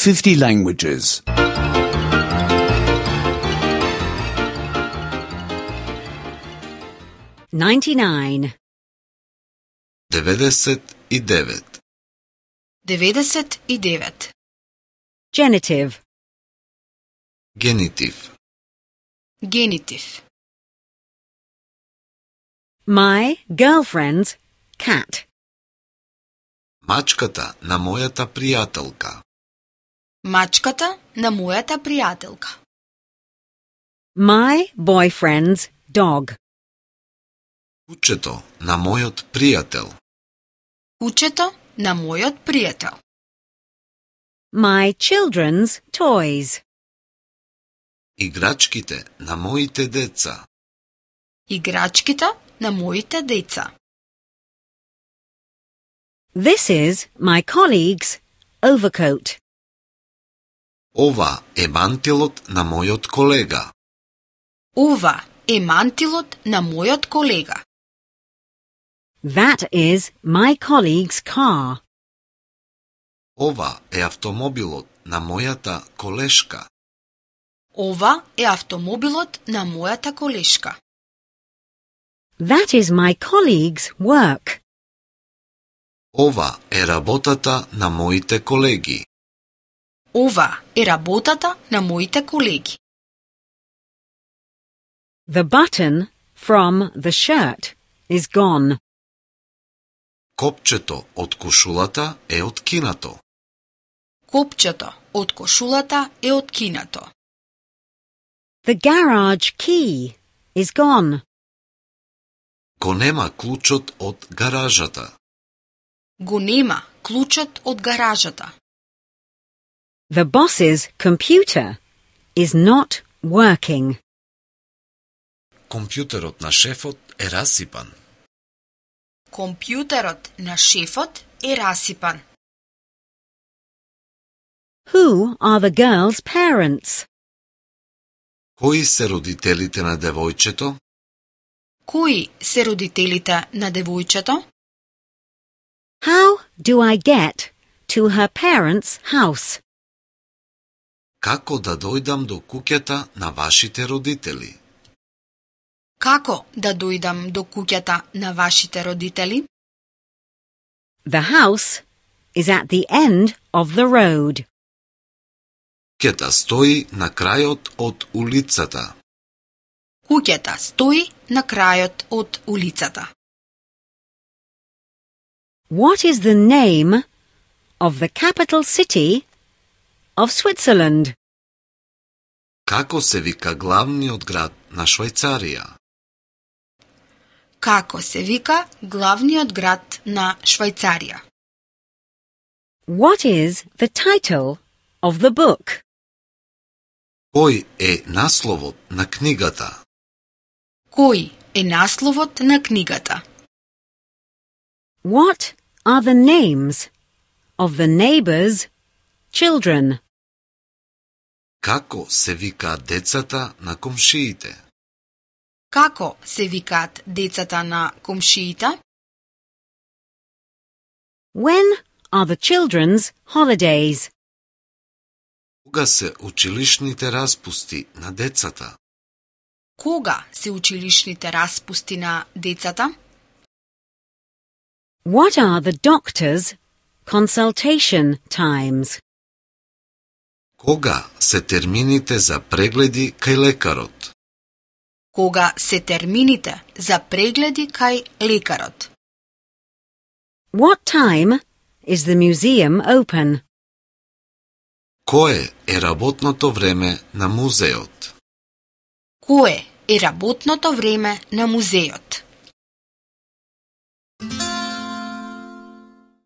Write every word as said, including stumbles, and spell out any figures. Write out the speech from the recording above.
fifty languages. ninety-nine. деветдесет и девет. деветдесет и девет. Genitive. Генитив. Генитив. My girlfriend's cat. Мачката на мојата пријателка. Мачката на мојата пријателка. My boyfriend's dog. Кучето на мојот пријател. Кучето на мојот пријател. My children's toys. Играчките на моите деца. Играчките на моите деца. This is my colleague's overcoat. Ова е мантилот на мојот колега. Ова е мантилот на мојот колега. That is my colleague's car. Ова е автомобилот на мојата колешка. Ова е автомобилот на мојата колешка. That is my colleague's work. Ова е работата на моите колеги. Ова е работата на моите колеги. The button from the shirt is gone. Копчето од кошулата е откинато. Копчето од кошулата е откинато. The garage key is gone. Го нема клучот од гаражата. Го нема клучот од гаражата. The boss's computer is not working. Компјутерот на шефот е расипан. Компјутерот на шефот е расипан. Who are the girl's parents? Кои се родителите на девојчето? Кои се родителите на девојчето? How do I get to her parents' house? Како да дојдам до куќата на вашите родители? Како да дојдам до куќата на вашите родители? The house is at the end of the road. Куќата стои на крајот од улицата. Куќата стои на крајот од улицата. What is the name of the capital city of Switzerland? Како се вика главниот град на Швајцарија? Како се вика главниот град на Швајцарија? What is the title of the book? Кој е насловот на книгата? Кој е насловот на книгата? What are the names of the neighbors' children? Како се викаат децата на комшиите? Како се викаат децата на комшиите? When are the children's holidays? Кога се училишните распусти на децата? Кога се училишните распусти на децата? What are the doctor's consultation times? Кога се термините за прегледи кај лекарот? Кога се термините за прегледи кај лекарот? What time is the museum open? Кое е работното време на музеот? Кое е работното време на музеот?